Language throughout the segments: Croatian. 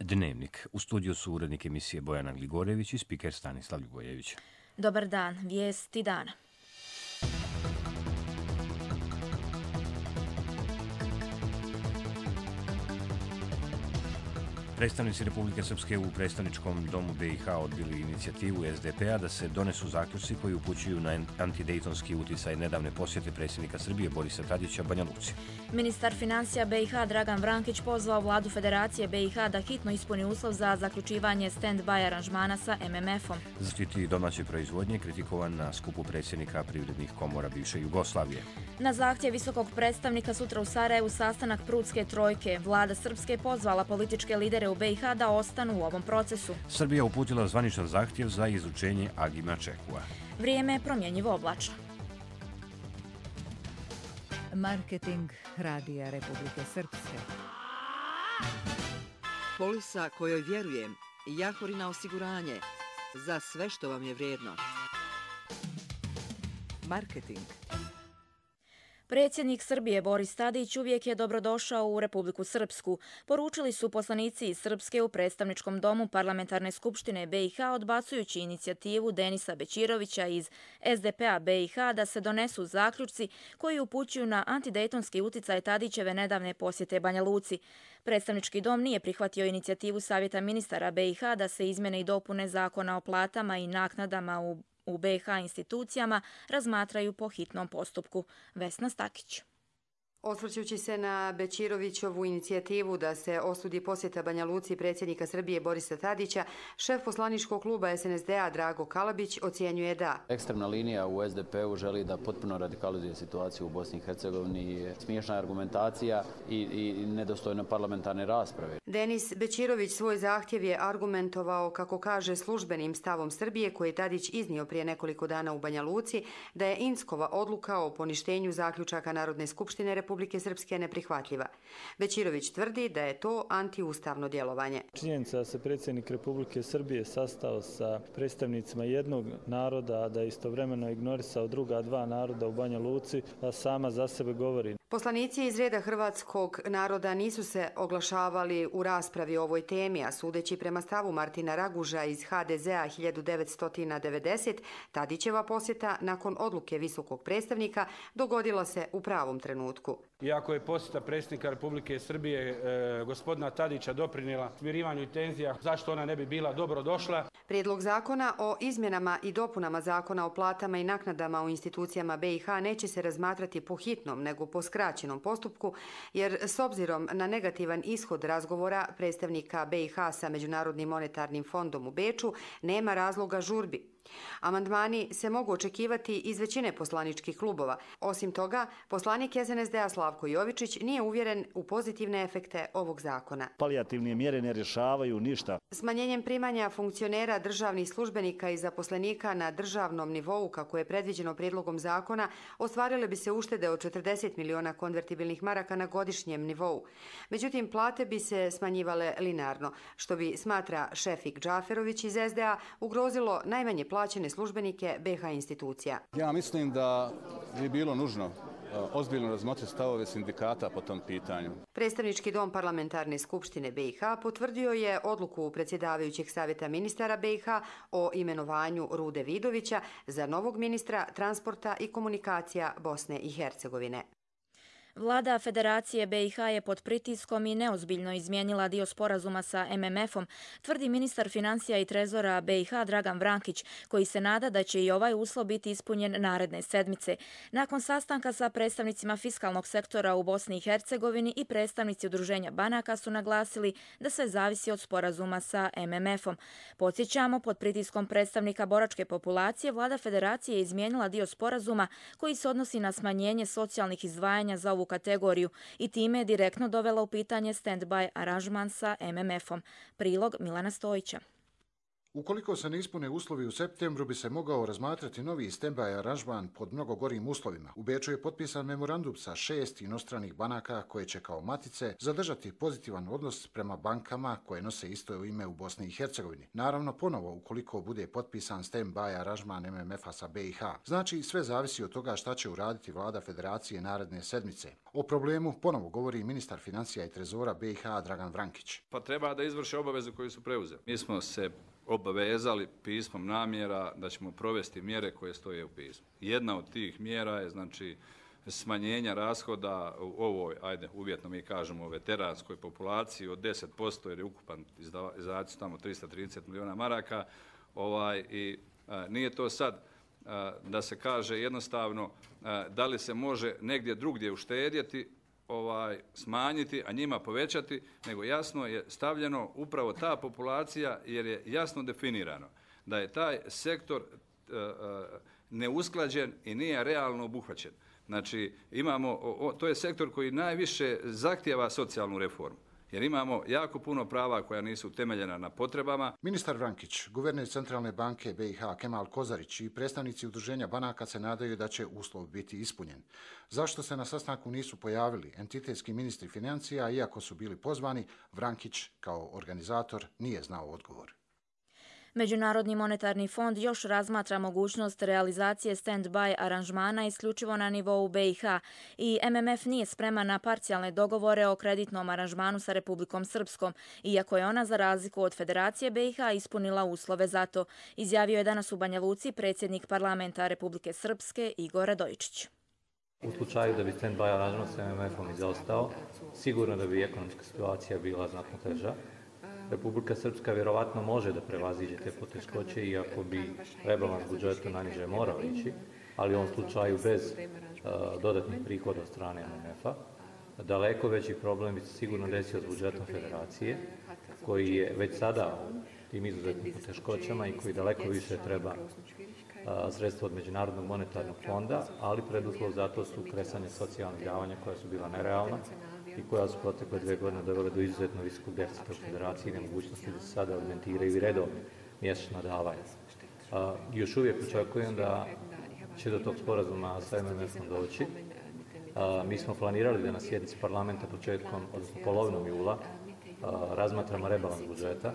Dnevnik. U studiju su urednik emisije Bojana Gligorjević i spiker Stanislav Ljubojević. Dobar dan, vijesti dana. Predstavnici Republike Srpske u predstavničkom domu BiH odbili inicijativu SDP-a da se donesu zaključci koji upućuju na antidejtonski uticaj nedavne posjete predsjednika Srbije Borisa Tadića Banja Luci. Ministar financija BiH Dragan Vrankić pozvao vladu Federacije BiH da hitno ispuni uslov za zaključivanje stand-by aranžmana sa MMF-om. Zaštiti domaće proizvodnje kritikovan na skupu predsjednika privrednih komora bivše Jugoslavije. Na zahtjev visokog predstavnika sutra u Sarajevu sastanak Prudske trojke. Vlada Srpske pozvala političke lidere u BiH da ostanu u ovom procesu. Srbija uputila zvaničan zahtjev za izručenje Agima Čekua. Vrijeme je promjenjivo oblačno. Marketing Radija Republike Srpske. Polisa kojoj vjerujem, Jahorina osiguranje, za sve što vam je vrijedno. Marketing. Predsjednik Srbije Boris Tadić uvijek je dobrodošao u Republiku Srpsku. Poručili su poslanici iz Srpske u predstavničkom domu Parlamentarne skupštine BiH odbacujući inicijativu Denisa Bećirovića iz SDP-a BiH da se donesu zaključci koji upućuju na antidejtonski uticaj Tadićeve nedavne posjete Banja Luci. Predstavnički dom nije prihvatio inicijativu Savjeta ministara BiH da se izmjene i dopune zakona o platama i naknadama u BiH institucijama razmatraju po hitnom postupku. Vesna Stakić. Osvrćući se na Bećirovićovu inicijativu da se osudi posjeta Banja Luci predsjednika Srbije Borisa Tadića, šef poslaničkog kluba SNSD-a Drago Kalabić ocjenjuje da ekstremna linija u SDP-u želi da potpuno radikalizuje situaciju u Bosni i Hercegovini, smiješna argumentacija i nedostojno parlamentarne rasprave. Denis Bećirović svoj zahtjev je argumentovao, kako kaže, službenim stavom Srbije koji je Tadić iznio prije nekoliko dana u Banja Luci, da je Inckova odluka o poništenju zaključaka Narodne skupštine Republike Srpske neprihvatljiva. Bećirović tvrdi da je to antiustavno djelovanje. Činjenica da se predsjednik Republike Srbije sastao sa predstavnicima jednog naroda, da je istovremeno ignorisao druga dva naroda u Banja Luci, sama za sebe govori. Poslanici iz reda hrvatskog naroda nisu se oglašavali u raspravi o ovoj temi, a sudeći prema stavu Martina Raguža iz HDZ-a 1990, Tadićeva posjeta nakon odluke visokog predstavnika dogodila se u pravom trenutku. Iako je posjeta predsjednika Republike Srbije gospodina Tadića doprinijela smirivanju tenzija, zašto ona ne bi bila dobro došla? Prijedlog zakona o izmjenama i dopunama zakona o platama i naknadama u institucijama BiH neće se razmatrati po hitnom, nego po skraćenom postupku, jer s obzirom na negativan ishod razgovora predstavnika BiH sa Međunarodnim monetarnim fondom u Beču nema razloga žurbi. Amandmani se mogu očekivati iz većine poslaničkih klubova. Osim toga, poslanik SNSD-a Slavko Jovičić nije uvjeren u pozitivne efekte ovog zakona. Palijativne mjere ne rješavaju ništa. Smanjenjem primanja funkcionera, državnih službenika i zaposlenika na državnom nivou, kako je predviđeno prijedlogom zakona, ostvarile bi se uštede od 40 miliona konvertibilnih maraka na godišnjem nivou. Međutim, plate bi se smanjivale linearno, što bi, smatra Šefik Džaferović iz SDA, ugrozilo najmanje plaćene službenike BiH institucija. Ja mislim da bi bilo nužno ozbiljno razmotriti stavove sindikata po tom pitanju. Predstavnički dom Parlamentarne skupštine BiH potvrdio je odluku predsjedavajućeg savjeta ministara BiH o imenovanju Rude Vidovića za novog ministra transporta i komunikacija Bosne i Hercegovine. Vlada Federacije BiH je pod pritiskom i neozbiljno izmijenila dio sporazuma sa MMF-om, tvrdi ministar financija i trezora BiH Dragan Vrankić, koji se nada da će i ovaj uslov biti ispunjen naredne sedmice. Nakon sastanka sa predstavnicima fiskalnog sektora u Bosni i Hercegovini i predstavnici udruženja banaka su naglasili da sve zavisi od sporazuma sa MMF-om. Podsjećamo, pod pritiskom predstavnika boračke populacije, Vlada Federacije je izmijenila dio sporazuma koji se odnosi na smanjenje socijalnih izdvajanja za ovu kategoriju i time je direktno dovela u pitanje stand-by aranžman sa MMF-om. Prilog Milana Stojića. Ukoliko se ne ispune uslovi u septembru, bi se mogao razmatrati novi stand-by aranžman pod mnogo gorim uslovima. U Beču je potpisan memorandum sa 6 inostranih banaka koje će kao matice zadržati pozitivan odnos prema bankama koje nose isto ime u Bosni i Hercegovini. Naravno, ponovo, ukoliko bude potpisan stand-by aranžman MMF-a sa BiH. Znači, sve zavisi od toga šta će uraditi vlada Federacije naredne sedmice. O problemu ponovo govori ministar financija i trezora BiH Dragan Vrankić. Pa treba da izvrše obavezu koju su preuzeli. Mi smo se obavezali pismom namjera da ćemo provesti mjere koje stoje u pismu. Jedna od tih mjera je znači smanjenja rashoda u ovoj, uvjetno mi kažemo, veteranskoj populaciji od 10%, jer je ukupan izdaci tamo 330 milijuna maraka. I nije to sad da se kaže jednostavno da li se može negdje drugdje uštedjeti, smanjiti, a njima povećati, nego jasno je stavljeno upravo ta populacija, jer je jasno definirano da je taj sektor neusklađen i nije realno obuhvaćen. Znači, to je sektor koji najviše zahtijeva socijalnu reformu, jer imamo jako puno prava koja nisu utemeljena na potrebama. Ministar Vrankić, guverner Centralne banke BiH Kemal Kozarić i predstavnici udruženja banaka se nadaju da će uslov biti ispunjen. Zašto se na sastanku nisu pojavili entitetski ministri financija, iako su bili pozvani, Vrankić kao organizator nije znao odgovor. Međunarodni monetarni fond još razmatra mogućnost realizacije stand-by aranžmana isključivo na nivou BiH i MMF nije spreman na parcijalne dogovore o kreditnom aranžmanu sa Republikom Srpskom, iako je ona za razliku od Federacije BiH ispunila uslove za to, izjavio je danas u Banja Luci predsjednik parlamenta Republike Srpske Igor Radojičić. U slučaju da bi stand-by aranžman sa MMF-om izostao, sigurno da bi ekonomska situacija bila znatno teža. Republika Srpska vjerovatno može da prevaziđe te poteškoće, iako bi rebalans budžeta naniže morao ići, ali u ovom slučaju bez dodatnih prihoda od strane MMF-a. Daleko veći problem bi se sigurno desio s budžetom Federacije, koji je već sada u tim izuzetnim poteškoćama i koji daleko više treba sredstva od Međunarodnog monetarnog fonda, ali preduslov za to su kresanje socijalnih davanja koja su bila nerealna i koja su protekle 2 godine dovele do izuzetno visokog deficita u Federaciji i nemogućnosti da se sada alimentiraju i redovne mjesečna davanja. Još uvijek očekujem da će do tog sporazuma sa MMF-om doći. Mi smo planirali da na sjednici parlamenta odnosno polovinom jula razmatramo rebalans budžeta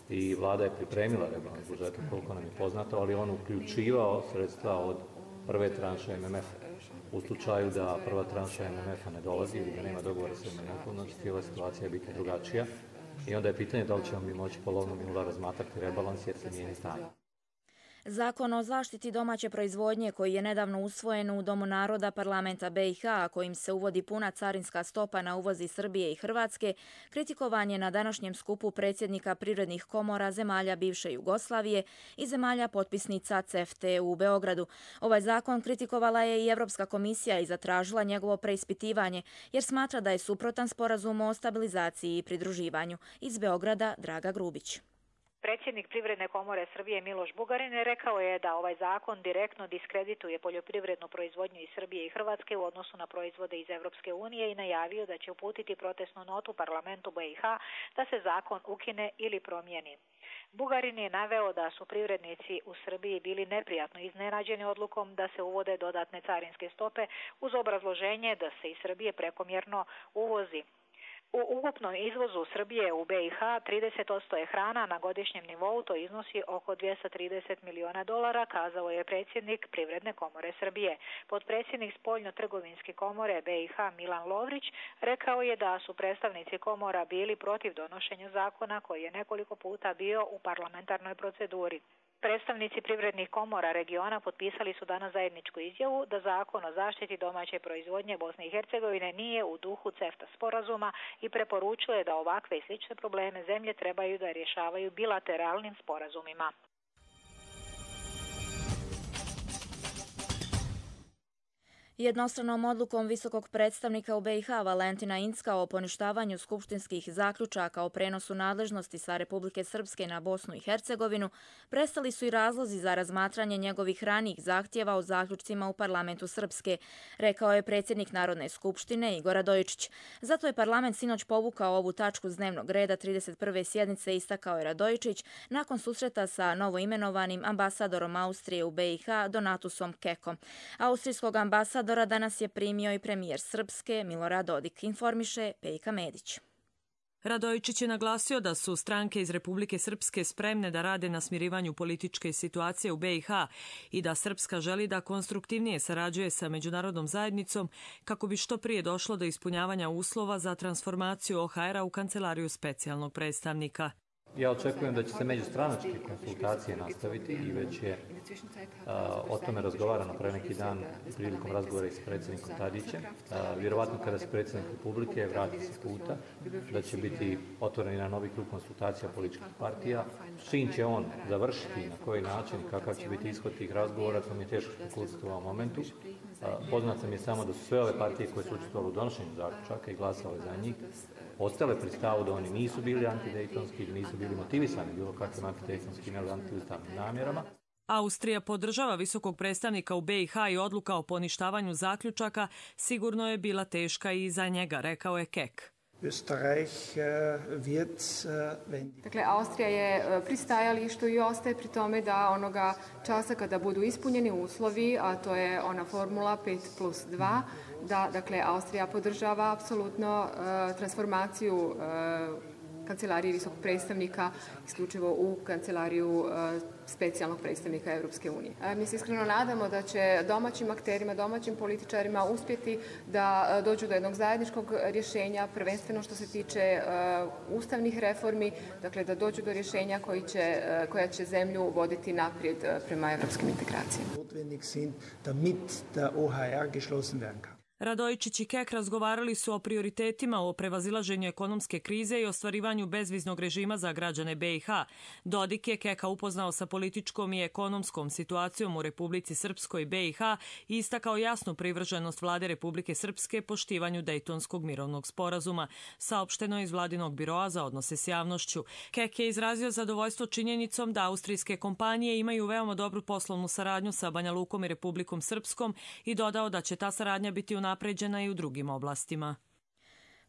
i vlada je pripremila rebalans budžeta koliko nam je poznato, ali on uključivao sredstva od prve tranše MMF-a. U slučaju da prva tranša MMF-a ne dolazi ili da nema dogovora sa MMF-om, znači cijela situacija biti drugačija i onda je pitanje da li ćemo mi moći polovinom jula razmatrati rebalans jer se mijenja stanje. Zakon o zaštiti domaće proizvodnje koji je nedavno usvojen u Domu naroda parlamenta BiH, a kojim se uvodi puna carinska stopa na uvoz iz Srbije i Hrvatske, kritikovan je na današnjem skupu predsjednika privrednih komora zemalja bivše Jugoslavije i zemalja potpisnica CEFTA u Beogradu. Ovaj zakon kritikovala je i Evropska komisija i zatražila njegovo preispitivanje, jer smatra da je suprotan sporazumu o stabilizaciji i pridruživanju. Iz Beograda Draga Grubić. Predsjednik Privredne komore Srbije Miloš Bugarin rekao je da ovaj zakon direktno diskredituje poljoprivrednu proizvodnju iz Srbije i Hrvatske u odnosu na proizvode iz Evropske unije i najavio da će uputiti protestnu notu parlamentu BiH da se zakon ukine ili promijeni. Bugarin je naveo da su privrednici u Srbiji bili neprijatno iznenađeni odlukom da se uvode dodatne carinske stope uz obrazloženje da se iz Srbije prekomjerno uvozi. U ukupnom izvozu Srbije u BiH 30% je hrana, na godišnjem nivou to iznosi oko $230 milijuna, kazao je predsjednik Privredne komore Srbije. Potpredsjednik Spoljno-trgovinske komore BiH Milan Lovrić rekao je da su predstavnici komora bili protiv donošenja zakona koji je nekoliko puta bio u parlamentarnoj proceduri. Predstavnici privrednih komora regiona potpisali su danas zajedničku izjavu da zakon o zaštiti domaće proizvodnje Bosne i Hercegovine nije u duhu CEFTA sporazuma i preporučuje da ovakve i slične probleme zemlje trebaju da rješavaju bilateralnim sporazumima. Jednostranom odlukom visokog predstavnika u BiH Valentina Incka o poništavanju skupštinskih zaključaka o prenosu nadležnosti sa Republike Srpske na Bosnu i Hercegovinu prestali su i razlozi za razmatranje njegovih ranijih zahtjeva o zaključcima u parlamentu Srpske, rekao je predsjednik Narodne skupštine Igor Radojičić. Zato je parlament sinoć povukao ovu tačku s dnevnog reda 31. sjednice, istakao je Radojičić nakon susreta sa novoimenovanim ambasadorom Austrije u BiH Donatusom Kekom. Austrijskog ambasadora danas je primio i premijer Srpske Milorad Dodik, informiše Pejka Medić. Radojičić je naglasio da su stranke iz Republike Srpske spremne da rade na smirivanju političke situacije u BiH i da Srpska želi da konstruktivnije sarađuje sa međunarodnom zajednicom kako bi što prije došlo do ispunjavanja uslova za transformaciju OHR-a u kancelariju specijalnog predstavnika. Ja očekujem da će se međustranačke konsultacije nastaviti i već je o tome razgovarano pre neki dan prilikom razgovora s predsjednikom Tadićem. Vjerovatno kada se predsjednik Republike vrati sa puta, da će biti otvoren na novi krug konsultacija političkih partija. S čim će on završiti i na koji način, kakav će biti ishod tih razgovora, to mi je teško spekulisati u ovom momentu. Poznat sam je samo da su sve ove partije koje su učestvovale u donošenju zaključaka i glasale za njih ostale pri stavu da oni nisu bili antidejtonski ili nisu bili motivisani bilo kakvim antidejtonskim ili antiustavnim namjerama. Austrija podržava visokog predstavnika u BiH i odluka o poništavanju zaključaka sigurno je bila teška i za njega, rekao je Kek. Dakle, Austrija je pri stajalištu i ostaje pri tome da onoga časa kada budu ispunjeni uslovi, a to je ona formula 5+2, da dakle, Austrija podržava apsolutno transformaciju kancelarije visokog predstavnika isključivo u kancelariju specijalnog predstavnika Europske unije. Mi se iskreno nadamo da će domaćim akterima, domaćim političarima uspjeti da dođu do jednog zajedničkog rješenja, prvenstveno što se tiče ustavnih reformi, dakle da dođu do rješenja koja će zemlju voditi naprijed prema europskim integracijama. Radojičić i Kek razgovarali su o prioritetima, o prevazilaženju ekonomske krize i ostvarivanju bezviznog režima za građane BiH. Dodik je Keka upoznao sa političkom i ekonomskom situacijom u Republici Srpskoj i BiH i istakao jasnu privrženost vlade Republike Srpske poštivanju Dejtonskog mirovnog sporazuma, saopšteno iz vladinog biroa za odnose s javnošću. Kek je izrazio zadovoljstvo činjenicom da austrijske kompanije imaju veoma dobru poslovnu saradnju sa Banja Lukom i Republikom Srpskom i dodao da će ta saradnja biti unapređena i u drugim oblastima.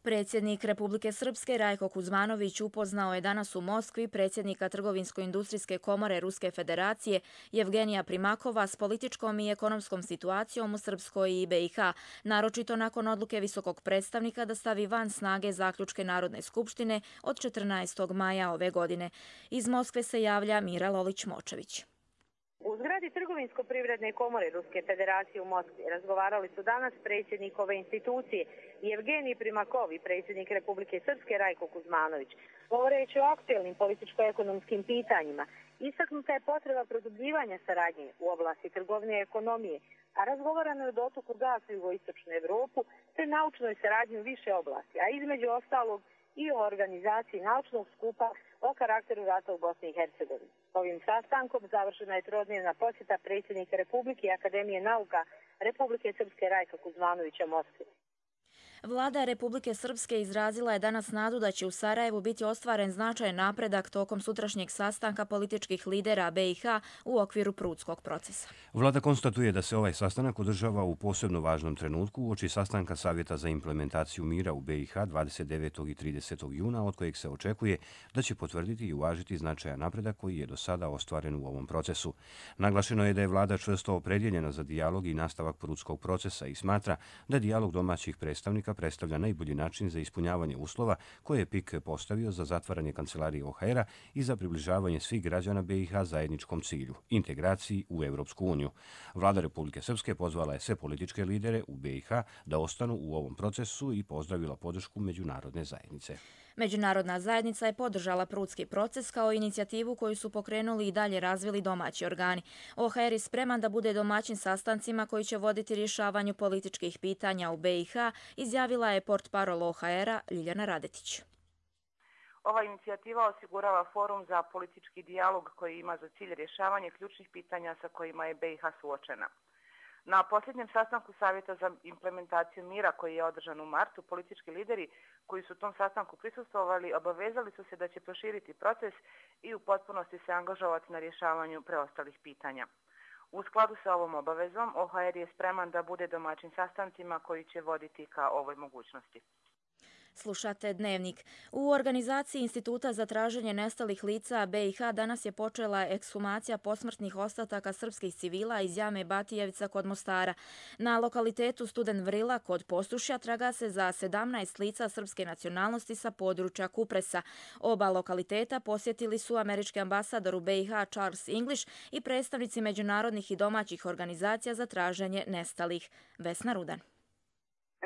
Predsjednik Republike Srpske Rajko Kuzmanović upoznao je danas u Moskvi predsjednika Trgovinsko-industrijske komore Ruske federacije Jevgenija Primakova s političkom i ekonomskom situacijom u Srpskoj i BiH, naročito nakon odluke visokog predstavnika da stavi van snage zaključke Narodne skupštine od 14. maja ove godine. Iz Moskve se javlja Mira Lolić-Močević. U zgradi Trgovinsko-privredne komore Ruske federacije u Moskvi razgovarali su danas predsjednik ove institucije Jevgenij Primakov i predsjednik Republike Srpske Rajko Kuzmanović. Govoreći o aktuelnim političko-ekonomskim pitanjima, istaknuta je potreba produbljivanja saradnje u oblasti trgovine i ekonomije, a razgovarano je o dotoku gasa u jugoistočnu Evropu te naučnoj saradnji u više oblasti, a između ostalog i o organizaciji naučnog skupa o karakteru rata u Bosni i Hercegovini. Ovim sastankom završena je trodnevna posjeta predsjednika Republike i Akademije nauka Republike Srpske Rajka Kuzmanovića Moskvi. Vlada Republike Srpske izrazila je danas nadu da će u Sarajevu biti ostvaren značajan napredak tokom sutrašnjeg sastanka političkih lidera BiH u okviru Prudskog procesa. Vlada konstatuje da se ovaj sastanak održava u posebno važnom trenutku uoči sastanka Savjeta za implementaciju mira u BiH 29. i 30. juna, od kojeg se očekuje da će potvrditi i uvažiti značajan napredak koji je do sada ostvaren u ovom procesu. Naglašeno je da je vlada čvrsto opredjeljena za dijalog i nastavak Prudskog procesa i smatra da dijalog domaćih predstavnika predstavlja najbolji način za ispunjavanje uslova koje je PIK postavio za zatvaranje kancelarije OHR-a i za približavanje svih građana BiH zajedničkom cilju, integraciji u Europsku uniju. Vlada Republike Srpske pozvala je sve političke lidere u BiH da ostanu u ovom procesu i pozdravila podršku međunarodne zajednice. Međunarodna zajednica je podržala Prudski proces kao inicijativu koju su pokrenuli i dalje razvili domaći organi. OHR je spreman da bude domaćin sastancima koji će voditi rješavanju političkih pitanja u BiH, izjavila je portparol OHR-a Ljiljana Radetić. Ova inicijativa osigurava forum za politički dijalog koji ima za cilj rješavanje ključnih pitanja sa kojima je BiH suočena. Na posljednjem sastanku Savjeta za implementaciju mira koji je održan u martu, politički lideri koji su u tom sastanku prisustvovali obavezali su se da će proširiti proces i u potpunosti se angažovati na rješavanju preostalih pitanja. U skladu sa ovom obavezom, OHR je spreman da bude domaćin sastancima koji će voditi ka ovoj mogućnosti. Slušate Dnevnik. U organizaciji Instituta za traženje nestalih lica BiH danas je počela ekshumacija posmrtnih ostataka srpskih civila iz jame Batijevica kod Mostara. Na lokalitetu Studen Vrila kod Posušja traga se za 17 lica srpske nacionalnosti sa područja Kupresa. Oba lokaliteta posjetili su američki ambasador u BiH Charles English i predstavnici međunarodnih i domaćih organizacija za traženje nestalih. Vesna Rudan.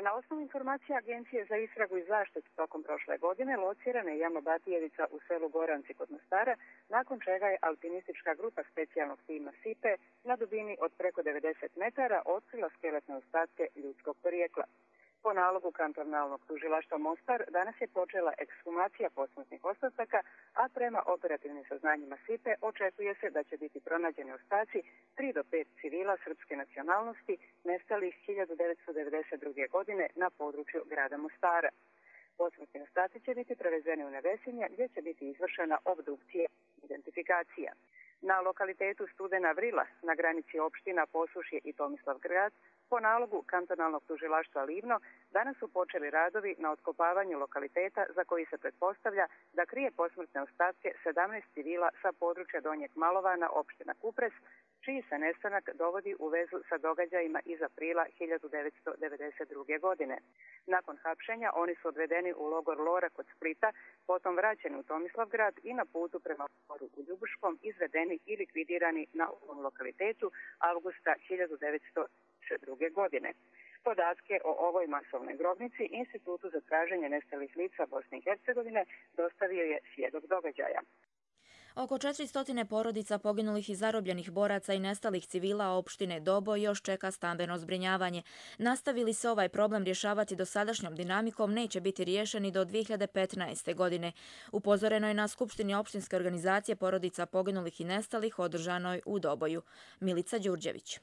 Na osnovu informacija Agencije za istragu i zaštitu tokom prošle godine locirana je jama Batijevica u selu Goranci kod Mostara, nakon čega je alpinistička grupa specijalnog tima SIPE na dubini od preko 90 metara otkrila skeletne ostatke ljudskog porijekla. Po nalogu kantonalnog tužilaštva Mostar danas je počela ekshumacija posmrtnih ostataka, a prema operativnim saznanjima SIPE očekuje se da će biti pronađeni ostaci 3 do 5 civila srpske nacionalnosti nestalih 1992. godine na području grada Mostara. Posmrtni ostaci će biti prevezeni u Nevesinje gdje će biti izvršena obdukcija i identifikacija. Na lokalitetu Studena Vrila na granici opština Posušje i Tomislavgrad po nalogu kantonalnog tužilaštva Livno danas su počeli radovi na otkopavanju lokaliteta za koji se pretpostavlja da krije posmrtne ostatke 17 civila sa područja Donjeg Malovana, opština Kupres, čiji se nestanak dovodi u vezu sa događajima iz aprila 1992. godine. Nakon hapšenja oni su odvedeni u logor Lora kod Splita, potom vraćeni u Tomislavgrad i na putu prema logoru u Ljubuškom izvedeni i likvidirani na ovom lokalitetu avgusta 1992. godine. Podatke o ovoj masovnoj grobnici Institutu za traženje nestalih lica Bosne i Hercegovine dostavio je svjedok događaja. Oko 400 porodica poginulih i zarobljenih boraca i nestalih civila opštine Doboj još čeka stambeno zbrinjavanje. Nastavili se ovaj problem rješavati dosadašnjom dinamikom, neće biti riješeni do 2015. godine. Upozoreno je na Skupštini opštinske organizacije porodica poginulih i nestalih održanoj u Doboju. Milica Đurđević.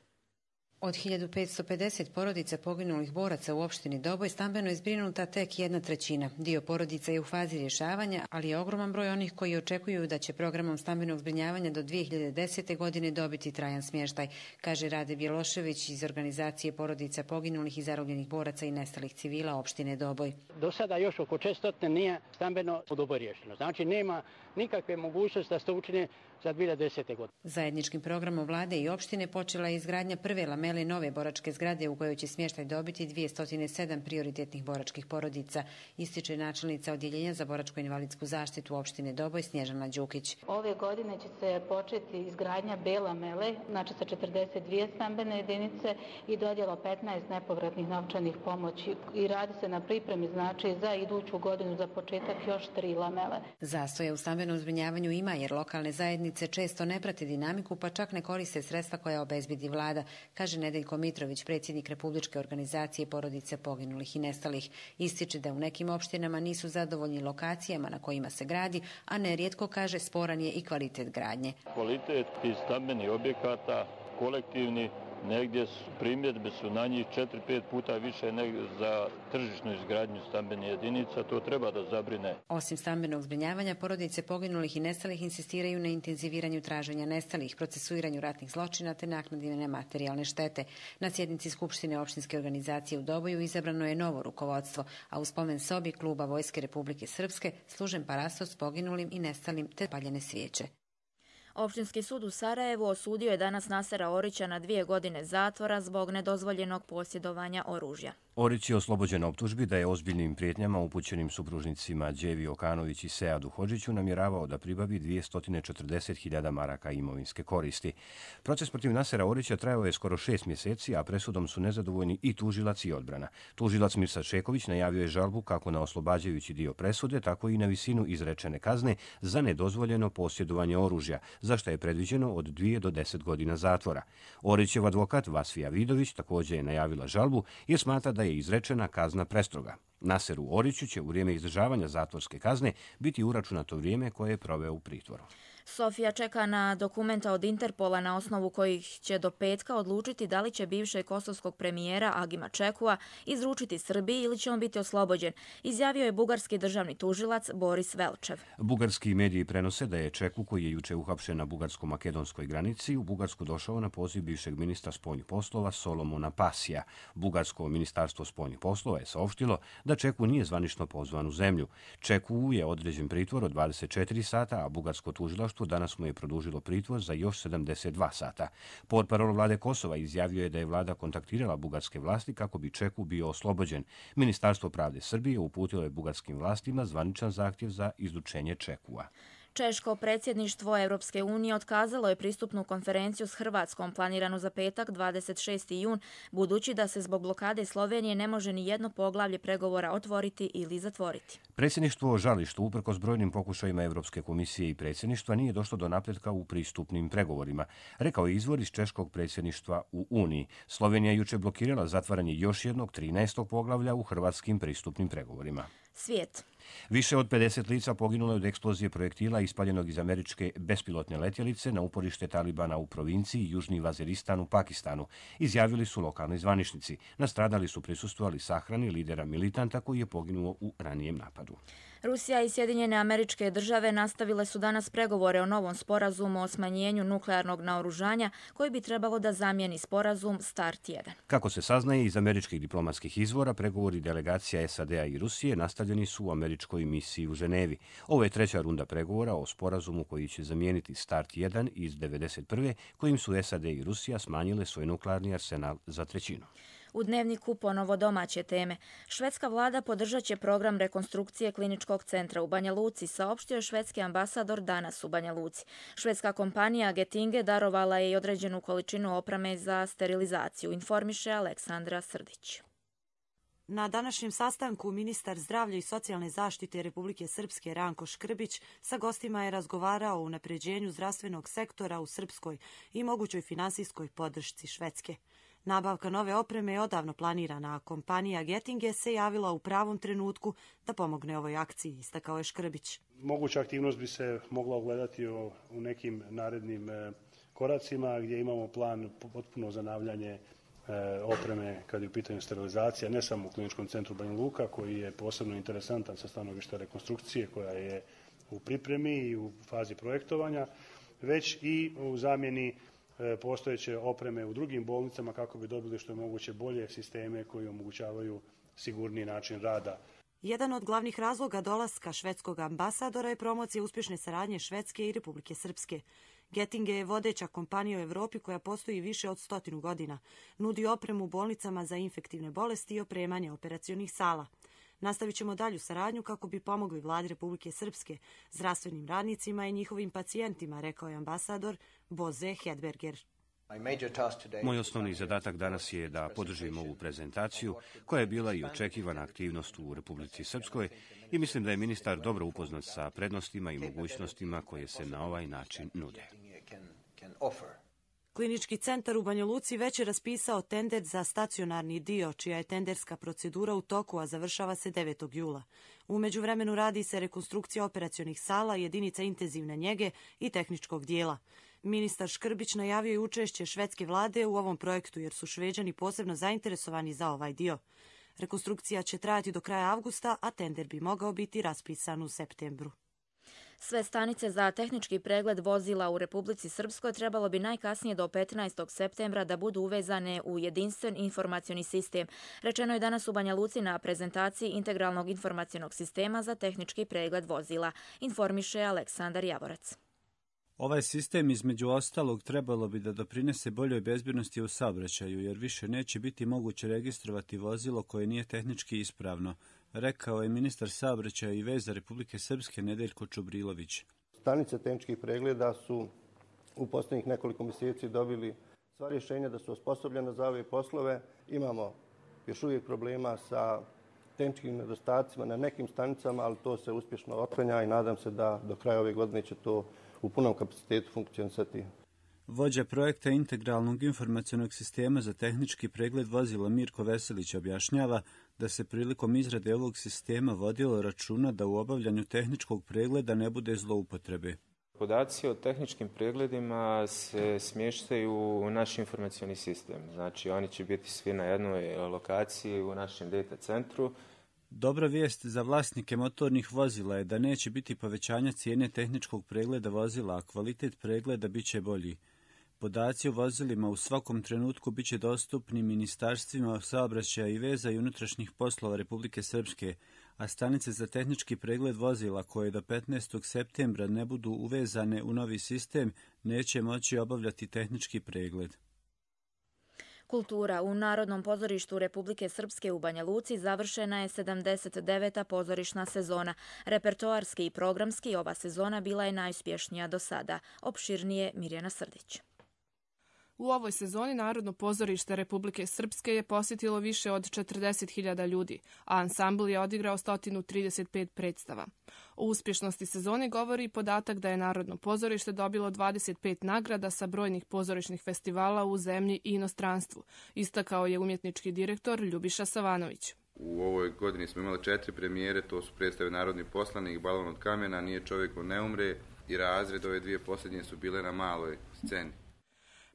Od 1550 porodica poginulih boraca u opštini Doboj stambeno je zbrinuta tek 1/3. Dio porodica je u fazi rješavanja, ali je ogroman broj onih koji očekuju da će programom stambenog zbrinjavanja do 2010. godine dobiti trajan smještaj, kaže Rade Bjelošević iz organizacije porodica poginulih i zarobljenih boraca i nestalih civila opštine Doboj. Do sada još oko 400 nije stambeno u Doboj riješeno. Znači nema nikakve mogućnosti da se to učine za 2010. godine. Zajedničkim programom vlade i opštine počela je izgradnja prve lamele nove boračke zgrade u kojoj će smještaj dobiti 207 prioritetnih boračkih porodica, ističe načelnica Odjeljenja za boračko-invalidsku zaštitu opštine Doboj Snježana Đukić. Ove godine će se početi izgradnja B lamele, znači sa 42 stambene jedinice i dodjela 15 nepovratnih novčanih pomoći i radi se na pripremi znači za iduću godinu za početak još 3 lamele. Zastoja u stambenom zbrinjavanju ima jer lokalne zajednice često ne prate dinamiku pa čak ne koriste sredstva koja obezbedi vlada, kaže Nedeljko Mitrović, predsjednik Republičke organizacije porodice poginulih i nestalih. Ističe da u nekim opštinama nisu zadovoljni lokacijama na kojima se gradi, a nerijetko, kaže, sporan je i kvalitet gradnje. Kvalitet tih stambenih objekata, kolektivni, negdje primjedbe su na njih 4-5 puta više nego za tržišnu izgradnju stambenih jedinica, to treba da zabrine. Osim stambenog zbrinjavanja, porodice poginulih i nestalih insistiraju na intenziviranju traženja nestalih, procesuiranju ratnih zločina te naknadi nematerijalne štete. Na sjednici Skupštine opštinske organizacije u Doboju izabrano je novo rukovodstvo, a u spomen sobi Kluba Vojske Republike Srpske služen parastos poginulim i nestalim te paljene svijeće. Opštinski sud u Sarajevu osudio je danas Nasera Orića na 2 godine zatvora zbog nedozvoljenog posjedovanja oružja. Orić je oslobođen optužbi da je ozbiljnim prijetnjama upućenim supružnicima Đevi Okanović i Seadu Hodžiću namjeravao da pribavi 240.000 maraka imovinske koristi. Proces protiv Nasera Orića trajao je skoro 6 mjeseci, a presudom su nezadovoljni i tužilac i odbrana. Tužilac Mirsad Šeković najavio je žalbu kako na oslobađajući dio presude, tako i na visinu izrečene kazne za nedozvoljeno posjedovanje oružja, za što je predviđeno od 2 do 10 godina zatvora. Orićev advokat Vasfija Vidović također je najavila žalbu jer smatra da je izrečena kazna prestroga. Naseru Oriću će u vrijeme izdržavanja zatvorske kazne biti uračunato vrijeme koje je proveo u pritvoru. Sofija čeka na dokumenta od Interpola na osnovu kojih će do petka odlučiti da li će bivšeg kosovskog premijera Agima Čekua izručiti Srbiji ili će on biti oslobođen, izjavio je bugarski državni tužilac Boris Velčev. Bugarski mediji prenose da je Čeku, koji je juče uhapšen na bugarsko-makedonskoj granici, u Bugarsku došao na poziv bivšeg ministra spoljnih poslova Solomona Pasija. Bugarsko ministarstvo spoljnih poslova je saopštilo da Čeku nije zvanično pozvan u zemlju. Čeku je određen pritvor od 24 sata, a bugarsko tužilaštvo danas mu je produžilo pritvor za još 72 sata. Portparol vlade Kosova izjavio je da je vlada kontaktirala bugarske vlasti kako bi Čeku bio oslobođen. Ministarstvo pravde Srbije uputilo je bugarskim vlastima zvaničan zahtjev za izručenje Čekua. Češko predsjedništvo Europske unije otkazalo je pristupnu konferenciju s Hrvatskom planiranu za petak 26. jun, budući da se zbog blokade Slovenije ne može ni jedno poglavlje pregovora otvoriti ili zatvoriti. Predsjedništvo žali što uprkos brojnim pokušajima Europske komisije i predsjedništva nije došlo do napretka u pristupnim pregovorima, rekao je izvor iz češkog predsjedništva u Uniji. Slovenija juče blokirala zatvaranje još jednog 13. poglavlja u hrvatskim pristupnim pregovorima. Svijet. Više od 50 lica poginulo je od eksplozije projektila ispaljenog iz američke bespilotne letjelice na uporište Talibana u provinciji Južni Vaziristan u Pakistanu, izjavili su lokalni zvaničnici. Nastradali su prisustvovali sahrani lidera militanta koji je poginuo u ranijem napadu. Rusija i Sjedinjene Američke Države nastavile su danas pregovore o novom sporazumu o smanjenju nuklearnog naoružanja koji bi trebalo da zamijeni sporazum START 1. Kako se saznaje iz američkih diplomatskih izvora, pregovori delegacija SAD-a i Rusije nastavljeni su u američkoj misiji u Ženevi. Ovo je treća runda pregovora o sporazumu koji će zamijeniti START 1 iz 1991. kojim su SAD i Rusija smanjile svoj nuklearni arsenal za trećinu. U Dnevniku ponovo domaće teme. Švedska vlada podržat će program rekonstrukcije kliničkog centra u Banja Luci, saopštio je švedski ambasador danas u Banja Luci. Švedska kompanija Getinge darovala je i određenu količinu opreme za sterilizaciju, informiše Aleksandra Srdić. Na današnjem sastanku ministar zdravlja i socijalne zaštite Republike Srpske Ranko Škrbić sa gostima je razgovarao o unapređenju zdravstvenog sektora u Srpskoj i mogućoj finansijskoj podršci Švedske. Nabavka nove opreme je odavno planirana, a kompanija Getinge se javila u pravom trenutku da pomogne ovoj akciji, istakao je Škrbić. Moguća aktivnost bi se mogla ogledati u nekim narednim koracima gdje imamo plan potpuno zanavljanje opreme kad je u pitanju sterilizacija, ne samo u kliničkom centru Banja Luka koji je posebno interesantan sa stanovišta rekonstrukcije koja je u pripremi i u fazi projektovanja, već i u zamjeni postojeće opreme u drugim bolnicama kako bi dobili što je moguće bolje sisteme koji omogućavaju sigurniji način rada. Jedan od glavnih razloga dolaska švedskog ambasadora je promocija uspješne saradnje Švedske i Republike Srpske. Getinge je vodeća kompanija u Evropi koja postoji više od 100 godina. Nudi opremu bolnicama za infektivne bolesti i opremanje operacionih sala. Nastavit ćemo dalju saradnju kako bi pomogli vladi Republike Srpske, zdravstvenim radnicima i njihovim pacijentima, rekao je ambasador Bože Hedberger. Moj osnovni zadatak danas je da podržim ovu prezentaciju, koja je bila i očekivana aktivnost u Republici Srpskoj i mislim da je ministar dobro upoznat sa prednostima i mogućnostima koje se na ovaj način nude. Klinički centar u Banja Luci već je raspisao tender za stacionarni dio, čija je tenderska procedura u toku, a završava se 9. jula. U međuvremenu radi se rekonstrukcija operacionih sala, jedinica intenzivne njege i tehničkog dijela. Ministar Škrbić najavio je učešće švedske vlade u ovom projektu jer su Šveđani posebno zainteresovani za ovaj dio. Rekonstrukcija će trajati do kraja avgusta, a tender bi mogao biti raspisan u septembru. Sve stanice za tehnički pregled vozila u Republici Srpskoj trebalo bi najkasnije do 15. septembra da budu uvezane u jedinstven informacioni sistem. Rečeno je danas u Banja Luci na prezentaciji integralnog informacionog sistema za tehnički pregled vozila, informiše Aleksandar Javorac. Ovaj sistem između ostalog trebalo bi da doprinese boljoj bezbjednosti u saobraćaju, jer više neće biti moguće registrovati vozilo koje nije tehnički ispravno, rekao je ministar saobraćaja i veza Republike Srpske Nedeljko Čubrilović. Stanice tehničkih pregleda su u posljednjih nekoliko mjeseci dobili sva rješenja da su osposobljene za ove poslove. Imamo još uvijek problema sa tehničkim nedostacima na nekim stanicama, ali to se uspješno otklanja i nadam se da do kraja ove godine će to u punom kapacitetu funkcionisati. Vođa projekta integralnog informacionog sistema za tehnički pregled vozila Mirko Veselić objašnjava da se prilikom izrade ovog sistema vodilo računa da u obavljanju tehničkog pregleda ne bude zloupotrebe. Podaci o tehničkim pregledima se smještaju u naš informacioni sistem. Znači, oni će biti svi na jednoj lokaciji u našem data centru. Dobra vijest za vlasnike motornih vozila je da neće biti povećanja cijene tehničkog pregleda vozila, a kvalitet pregleda bit će bolji. Podaci o vozilima u svakom trenutku bit će dostupni ministarstvima saobraćaja i veza i unutrašnjih poslova Republike Srpske, a stanice za tehnički pregled vozila koje do 15. septembra ne budu uvezane u novi sistem neće moći obavljati tehnički pregled. Kultura. U Narodnom pozorištu Republike Srpske u Banja Luci završena je 79. pozorišna sezona. Repertoarski i programski ova sezona bila je najuspješnija do sada. Opširnije Mirjana Srdić. U ovoj sezoni Narodno pozorište Republike Srpske je posjetilo više od 40.000 ljudi, a ansambl je odigrao 135 predstava. O uspješnosti sezone govori i podatak da je Narodno pozorište dobilo 25 nagrada sa brojnih pozorišnih festivala u zemlji i inostranstvu, istakao je umjetnički direktor Ljubiša Savanović. U ovoj godini smo imali 4 premijere, to su predstave Narodni poslanik, Balon od kamena, Nije čovjeku ne umre i Razred. Ove dvije posljednje su bile na maloj sceni.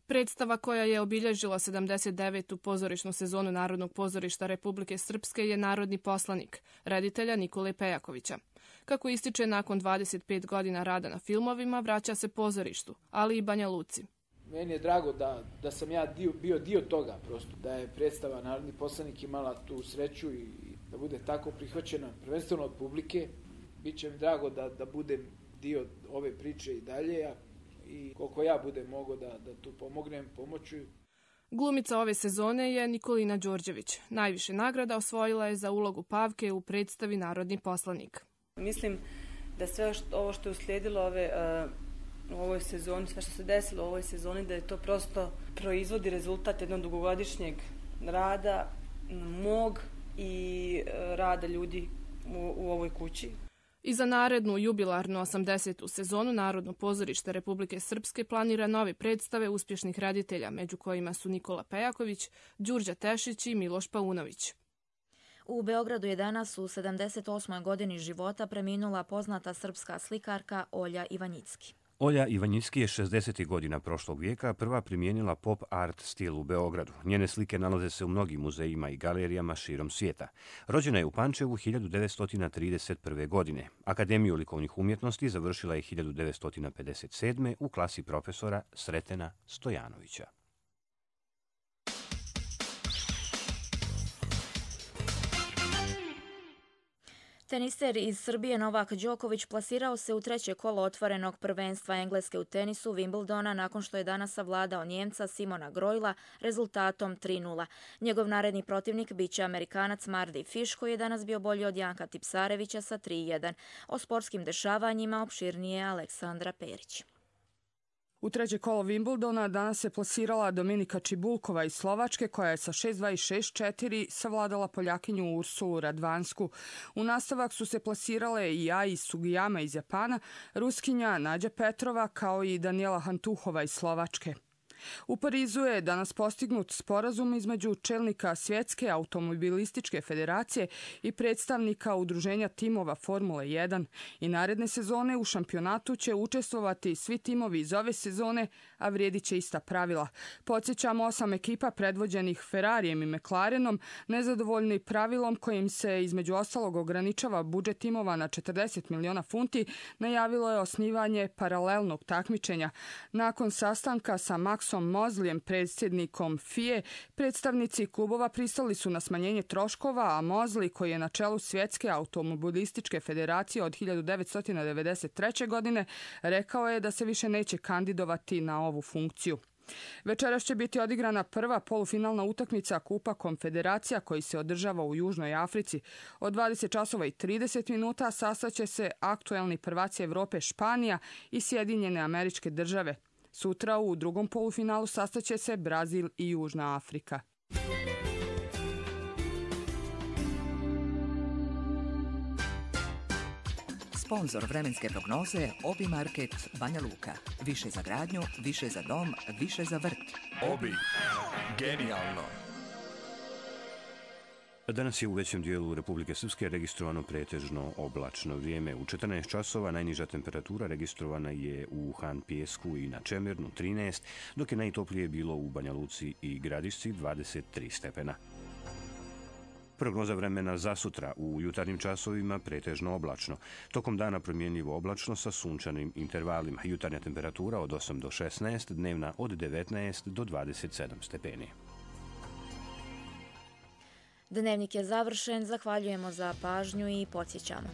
Predstava koja je obilježila 79. pozorišnu sezonu Narodnog pozorišta Republike Srpske je Narodni poslanik, reditelja Nikole Pejakovića. Kako ističe, nakon 25 godina rada na filmovima, vraća se pozorištu, ali i Banja Luci. Meni je drago da sam ja bio dio toga, prosto, da je predstava Narodni poslanik imala tu sreću i da bude tako prihvaćena, prvenstveno od publike. Biće mi drago da budem dio ove priče i dalje, i koliko ja budem mogao da tu pomognem, pomoću. Glumica ove sezone je Nikolina Đorđević. Najviše nagrada osvojila je za ulogu Pavke u predstavi Narodni poslanik. Mislim da sve ovo što je uslijedilo u ovoj sezoni, sve što se desilo u ovoj sezoni, da je to prosto proizvodi rezultat jednog dugogodišnjeg rada mog i rada ljudi u ovoj kući. I za narednu jubilarnu 80. sezonu Narodno pozorište Republike Srpske planira nove predstave uspješnih reditelja, među kojima su Nikola Pejaković, Đurđa Tešić i Miloš Paunović. U Beogradu je danas u 78. godini života preminula poznata srpska slikarka Olja Ivanjicki. Olja Ivanjicki je 60. godina prošlog vijeka prva primijenila pop art stil u Beogradu. Njene slike nalaze se u mnogim muzejima i galerijama širom svijeta. Rođena je u Pančevu 1931. godine. Akademiju likovnih umjetnosti završila je 1957. u klasi profesora Sretena Stojanovića. Teniser iz Srbije Novak Đoković plasirao se u treće kolo otvorenog prvenstva Engleske u tenisu Wimbledona nakon što je danas savladao Njemca Simona Grojla rezultatom 3:0. Njegov naredni protivnik biće Amerikanac Mardy Fish koji je danas bio bolji od Janka Tipsarevića sa 3:1. O sportskim dešavanjima opširnije Aleksandra Perić. U treće kolo Wimbledona danas se plasirala Dominika Čibulkova iz Slovačke koja je sa 6:2 i 6:4 savladala Poljakinju Ursulu Radvansku. U nastavak su se plasirale i Ai Sugiyama iz Japana, Ruskinja Nađa Petrova kao i Daniela Hantuhova iz Slovačke. U Parizu je danas postignut sporazum između čelnika Svjetske automobilističke federacije i predstavnika udruženja timova Formule 1 i naredne sezone u šampionatu će učestvovati svi timovi iz ove sezone, a vrijedit će ista pravila. Podsjećamo, 8 ekipa predvođenih Ferrarijem i McLarenom, nezadovoljni pravilom kojim se između ostalog ograničava budžet timova na 40 miliona funti, najavilo je osnivanje paralelnog takmičenja. Nakon sastanka sa Maxom Mozlijem, predsjednikom FIE, predstavnici klubova pristali su na smanjenje troškova, a Mozli, koji je na čelu Svjetske automobilističke federacije od 1993. godine, rekao je da se više neće kandidovati na ovu funkciju. Večeras će biti odigrana prva polufinalna utakmica Kupa Konfederacija koji se održava u Južnoj Africi. Od 20:30 sastaće se aktuelni prvaci Evrope Španija i Sjedinjene Američke Države. Sutra u drugom polufinalu sastaće se Brazil i Južna Afrika. Sponzor vremenske prognoze Obi Market Banja Luka. Više za gradnju, više za dom, više za vrt. Obi. Genijalno. Danas je u većem dijelu Republike Srpske registrovano pretežno oblačno vrijeme. U 14 časova najniža temperatura registrovana je u Han Pijesku i na Čemernu 13, dok je najtoplije bilo u Banja Luci i Gradišci 23 stepena. Prognoza vremena za sutra: u jutarnjim časovima pretežno oblačno. Tokom dana promjenjivo oblačno sa sunčanim intervalima. Jutarnja temperatura od 8 do 16, dnevna od 19 do 27 stepeni. Dnevnik je završen, zahvaljujemo za pažnju i podsjećamo.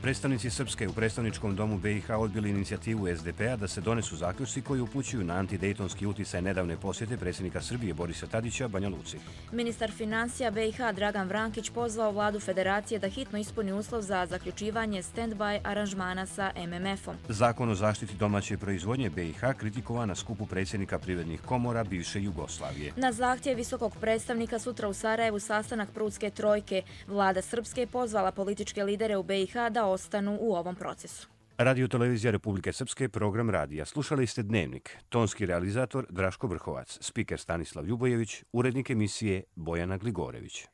Predstavnici Srpske u predstavničkom domu BiH odbili inicijativu SDP-a da se donesu zaključci koji upućuju na antidejtonski uticaj nedavne posjete predsjednika Srbije Borisa Tadića Banja Luci. Ministar financija BiH Dragan Vrankić pozvao vladu federacije da hitno ispuni uslov za zaključivanje stand-by aranžmana sa MMF-om. Zakon o zaštiti domaće proizvodnje BiH kritikovan na skupu predsjednika privrednih komora bivše Jugoslavije. Na zahtjev visokog predstavnika sutra u Sarajevu sastanak Prudske trojke. Vlada Srpske je pozvala političke lidere u BiH da ostanu u ovom procesu. Radio Televizija Republike Srpske, program radija. Slušali ste Dnevnik. Tonski realizator Draško Vrhovac, spiker Stanislav Ljubojević, urednik emisije Bojana Gligorević.